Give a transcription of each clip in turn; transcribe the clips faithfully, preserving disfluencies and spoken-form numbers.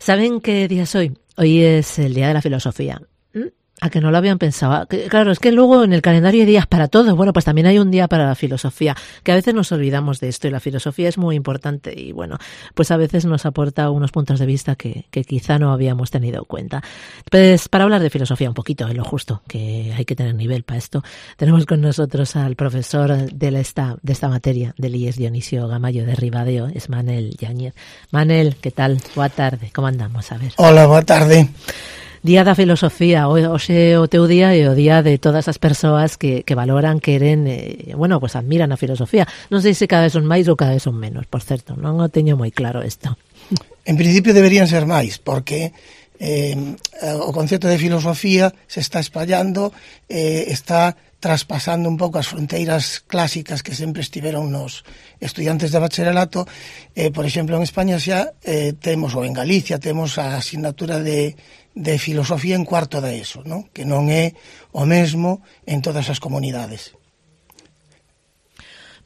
¿Saben qué día es hoy? Hoy es el Día de la Filosofía. ¿A que no lo habían pensado? Claro, es que luego en el calendario hay días para todo. Bueno, pues también hay un día para la filosofía, que a veces nos olvidamos de esto y la filosofía es muy importante y bueno, pues a veces nos aporta unos puntos de vista que, que quizá no habíamos tenido en cuenta. Pues para hablar de filosofía un poquito, en lo justo, que hay que tener nivel para esto, tenemos con nosotros al profesor de, la esta, de esta materia del I E S Dionisio Gamayo de Ribadeo, es Manel Yáñez. Manel, ¿qué tal? Boa tarde, ¿cómo andamos? A ver. Hola, boa tarde. Día da filosofía, hoxe o teu día e o día de todas as persoas que, que valoran, queren, eh, bueno, pues admiran a filosofía. Non sei se cada vez son máis ou cada vez son menos, por certo, non o teño moi claro isto. En principio deberían ser máis, porque eh, o concepto de filosofía se está espallando, eh, está traspasando un pouco as fronteiras clásicas que sempre estiveron nos estudiantes de bacharelato. Eh, por exemplo, en España xa eh, temos, ou en Galicia, temos a asignatura de de filosofía en cuarto da ESO, non? Que non é o mesmo en todas as comunidades.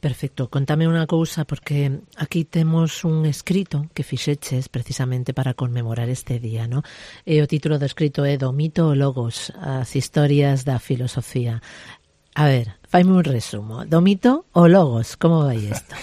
Perfecto, contame unha cousa, porque aquí temos un escrito que fixeches precisamente para conmemorar este día, non? E o título do escrito é Do mito ao logos, as historias da filosofía. A ver, faime un resumo. Do mito ao logos, como vai isto?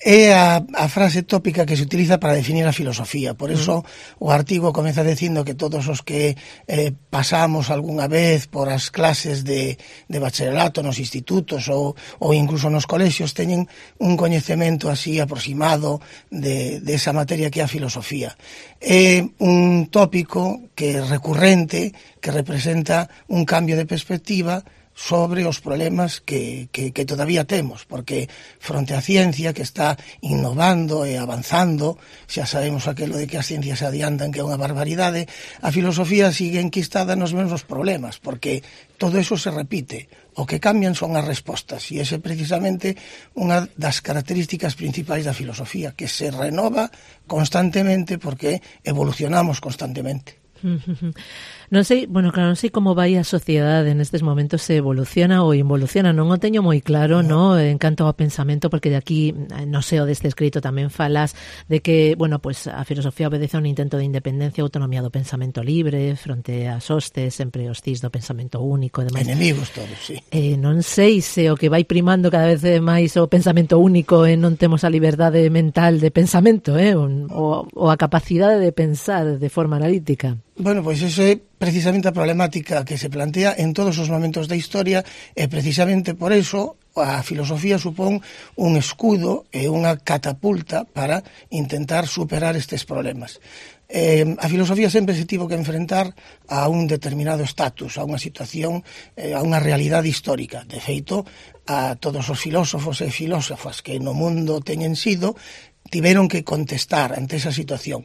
É a, a frase tópica que se utiliza para definir a filosofía. Por eso mm. o artigo comeza dicindo que todos os que eh, pasamos algunha vez por as clases de, de bacharelato nos institutos ou, ou incluso nos colexios teñen un coñecemento así aproximado de, de esa materia que é a filosofía. É un tópico que é recurrente, que representa un cambio de perspectiva sobre os problemas que, que, que todavía temos, porque fronte á ciencia que está innovando e avanzando, xa sabemos aquilo de que as ciencias se adiantan, que é unha barbaridade, a filosofía sigue enquistada nos mesmos problemas, porque todo eso se repite. O que cambian son as respostas, e ese é precisamente unha das características principais da filosofía, que se renova constantemente porque evolucionamos constantemente. Non sei, bueno, claro, non sei como vai a sociedade nestes momentos, se evoluciona ou involuciona, non o teño moi claro, no, en canto ao pensamento, porque de aquí, no sei, o deste escrito tamén falas de que, bueno, pues a filosofía obedece a un intento de independencia e autonomía do pensamento libre fronte ás hostes, sempre os cis do pensamento único e demais. Enemigos todos, sí. Eh, non sei se o que vai primando cada vez máis o pensamento único e non temos a liberdade mental de pensamento, eh, o, o a capacidade de pensar de forma analítica. Bueno, pois iso é precisamente a problemática que se plantea en todos os momentos da historia e precisamente por eso a filosofía supón un escudo e unha catapulta para intentar superar estes problemas. Eh, a filosofía sempre se tivo que enfrentar a un determinado estatus, a unha situación, eh, a unha realidade histórica. De feito, a todos os filósofos e filósofas que no mundo teñen sido tiveron que contestar ante esa situación,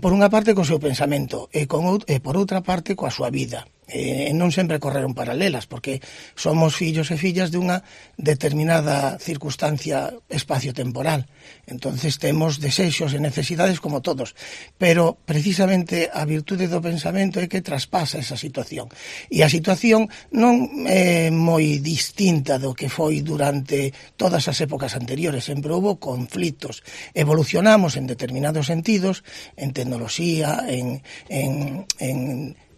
por unha parte co seu pensamento e, con, e por outra parte coa súa vida. E non sempre correron paralelas, porque somos fillos e fillas de unha determinada circunstancia espacio-temporal. Entonces temos desexos e necesidades como todos, pero precisamente a virtude do pensamento é que traspasa esa situación. E a situación non é moi distinta do que foi durante todas as épocas anteriores, sempre houve conflitos. Evolucionamos en determinados sentidos, en tecnoloxía, en, en, en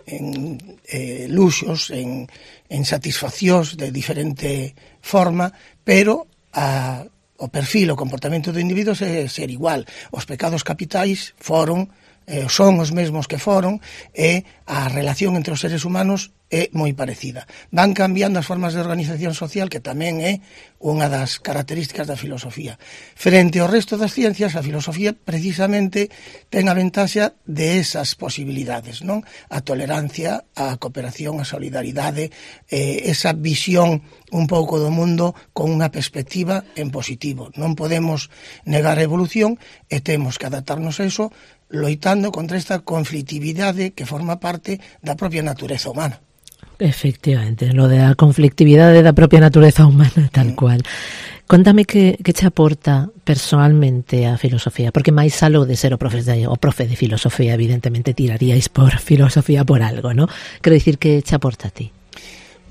en eh, luxos, en, en satisfaccións de diferente forma, pero a, o perfil, o comportamento do individuo é ser igual. Os pecados capitais foron, eh, son os mesmos que foron, e a relación entre os seres humanos é moi parecida. Van cambiando as formas de organización social, que tamén é unha das características da filosofía. Frente ao resto das ciencias, a filosofía precisamente ten a ventaxa de esas posibilidades, non? A tolerancia, a cooperación, a solidaridade, eh, esa visión un pouco do mundo con unha perspectiva en positivo. Non podemos negar a evolución e temos que adaptarnos a eso loitando contra esta conflictividade que forma parte da propia natureza humana. Efectivamente, lo de a conflictividade da propia natureza humana, tal cual. Contame que, que che aporta personalmente a filosofía, porque máis aló de ser o profe de, o profe de filosofía, evidentemente tiraríais por filosofía por algo, ¿no? Quero dicir que che aporta a ti.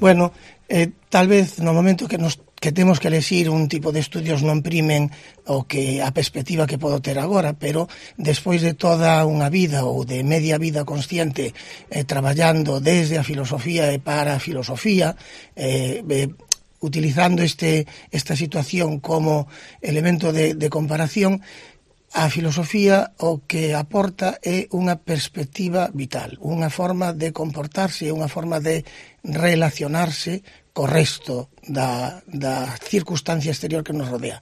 Bueno, eh, tal vez no momento que nos que temos que elegir un tipo de estudios non primen o que a perspectiva que podo ter agora, pero despois de toda unha vida ou de media vida consciente eh, traballando desde a filosofía e para a filosofía, eh, eh, utilizando este esta situación como elemento de, de comparación, a filosofía o que aporta é unha perspectiva vital, unha forma de comportarse, unha forma de relacionarse co resto da, da circunstancia exterior que nos rodea.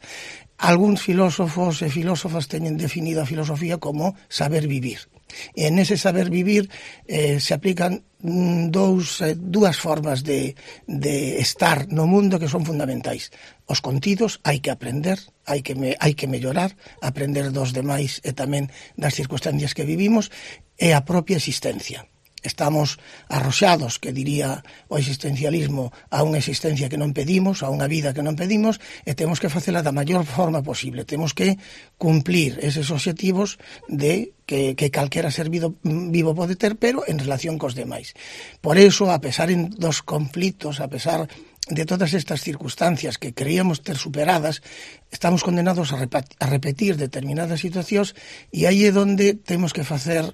Algúns filósofos e filósofas teñen definido a filosofía como saber vivir. E nese saber vivir eh, se aplican dous, eh, dúas formas de, de estar no mundo que son fundamentais. Os contidos hai que aprender, hai que, me, hai que mellorar, aprender dos demais e tamén das circunstancias que vivimos, e a propia existencia. Estamos arroxados, que diría o existencialismo, a unha existencia que non pedimos, a unha vida que non pedimos, e temos que facela da maior forma posible. Temos que cumplir eses obxectivos de que, que calquera ser vivo, vivo pode ter, pero en relación cos demais. Por eso, a pesar dos conflitos, a pesar de todas estas circunstancias que creíamos ter superadas, estamos condenados a, a repetir determinadas situacións, e aí é onde temos que facer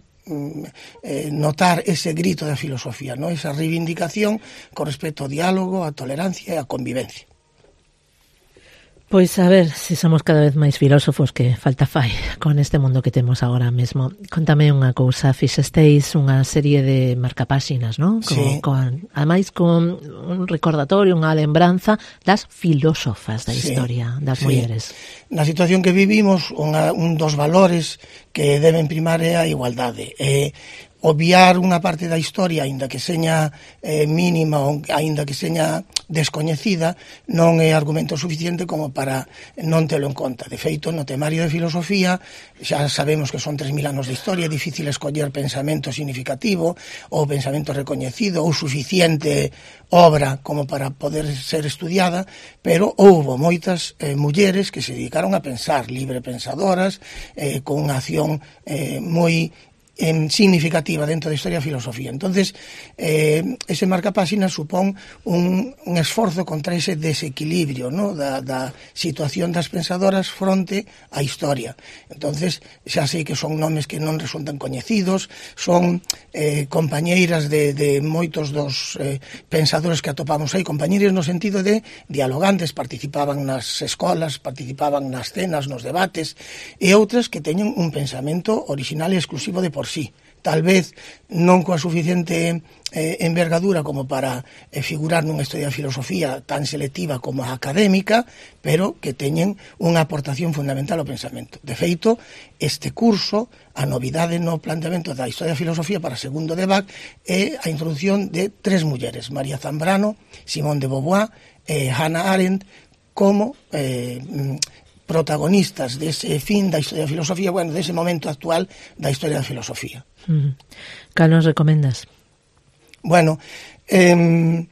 Eh, notar ese grito da filosofía, ¿no? Esa reivindicación con respecto ao diálogo, á tolerancia e á convivencia. Pois a ver se si somos cada vez máis filósofos, que falta fai con este mundo que temos agora mesmo. Contame unha cousa, fixesteis unha serie de marcapáxinas, non? Con, sí. con, ademais con un recordatorio, unha lembranza das filósofas da sí. historia das sí. mulleres. Na situación que vivimos, unha, un dos valores que deben primar é a igualdade. E obviar unha parte da historia, aínda que seña eh, mínima ou aínda que seña descoñecida, non é argumento suficiente como para non telo en conta. De feito, no temario de filosofía xa sabemos que son tres mil anos de historia, é difícil escoller pensamento significativo ou pensamento recoñecido ou suficiente obra como para poder ser estudiada, pero houbo moitas eh, mulleres que se dedicaron a pensar, libre pensadoras, eh, con unha acción eh, moi Eh, significativa dentro da historia da filosofía. Entonces, eh, ese marcapáxinas supón un, un esforzo contra ese desequilibrio, ¿no? da, da situación das pensadoras fronte á historia. Entonces, xa sei que son nomes que non resultan coñecidos, son eh, compañeiras de, de moitos dos eh, pensadores que atopamos aí, compañeiras no sentido de dialogantes, participaban nas escolas, participaban nas cenas, nos debates, e outras que teñen un pensamento original e exclusivo de por sí. Tal vez non coa suficiente eh, envergadura como para eh, figurar nunha historia de filosofía tan selectiva como a académica, pero que teñen unha aportación fundamental ao pensamento. De feito, este curso, a novidade no planteamento da historia de filosofía para segundo de B A C é a introducción de tres mulleres, María Zambrano, Simone de Beauvoir e Hannah Arendt, como eh, protagonistas dese fin da historia da filosofía, bueno, dese momento actual da historia da filosofía. Mm. Cal nos recomendas? Bueno, eh,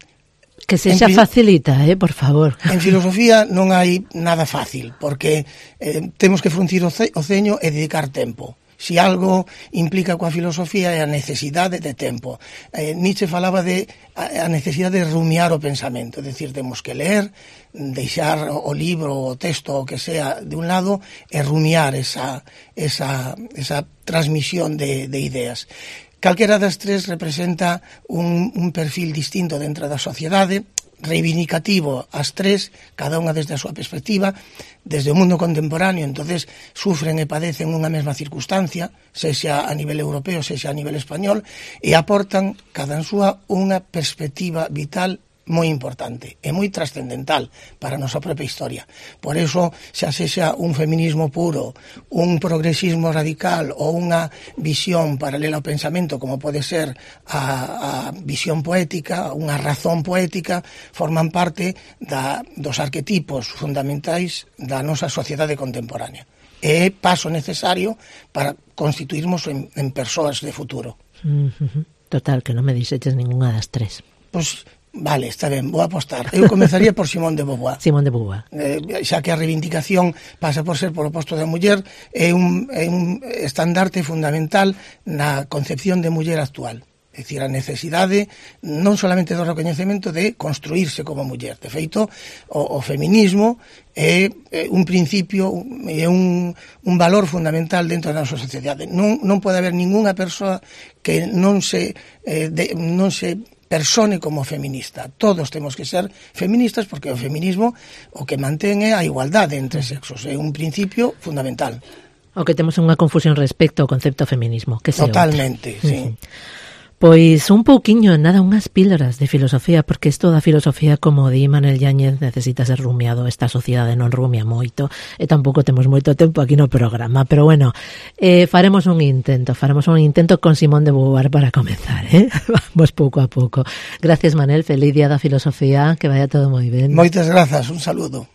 que se xa facilita, eh, por favor. En filosofía non hai nada fácil, porque eh, temos que fruncir o, ce, o ceño e dedicar tempo. Si algo implica coa filosofía é a necesidade de tempo. Eh, Nietzsche falaba de a necesidade de rumiar o pensamento, é dicir, temos que ler, deixar o libro, o texto, o que sea, de un lado, e rumiar esa, esa, esa transmisión de, de ideas. Calquera das tres representa un, un perfil distinto dentro da sociedade, reivindicativo as tres, cada unha desde a súa perspectiva, desde o mundo contemporáneo, entonces sufren e padecen unha mesma circunstancia, sexa a nivel europeo, sexa a nivel español, e aportan cada en súa unha perspectiva vital moi importante e moi trascendental para a nosa propia historia. Por eso, xa sexa un feminismo puro, un progresismo radical ou unha visión paralela ao pensamento, como pode ser a, a visión poética, unha razón poética, forman parte da, dos arquetipos fundamentais da nosa sociedade contemporánea. É paso necesario para constituirmos en, en persoas de futuro. Total, que non me dixeches ninguna das tres. Pois, vale, está ben, vou apostar. Eu comezaría por Simone de Beauvoir. Simone de Beauvoir. Eh, xa que a reivindicación pasa por ser polo posto da muller, é un, é un estandarte fundamental na concepción de muller actual. é dicir, a necesidade non solamente do recoñecemento de construirse como muller. De feito, o, o feminismo é, é un principio, é un, un valor fundamental dentro da nosa sociedade. Non, non pode haber ningunha persoa que non se, eh, de, non se persone como feminista. Todos temos que ser feministas porque o feminismo o que mantén é a igualdade entre sexos. É un principio fundamental. O que temos unha confusión respecto ao concepto feminismo, que se Totalmente, outra. sí. Uh-huh. Pois un pouquiño, nada, unhas píldoras de filosofía, porque isto da filosofía, como di Manel Yáñez, necesita ser rumiado. Esta sociedade non rumia moito, e tampouco temos moito tempo aquí no programa, pero bueno, eh, faremos un intento, faremos un intento con Simón de Beauvoir para comenzar, eh? Vamos pouco a pouco. Gracias, Manel, feliz día da filosofía, que vaya todo moi ben. Moitas grazas, un saludo.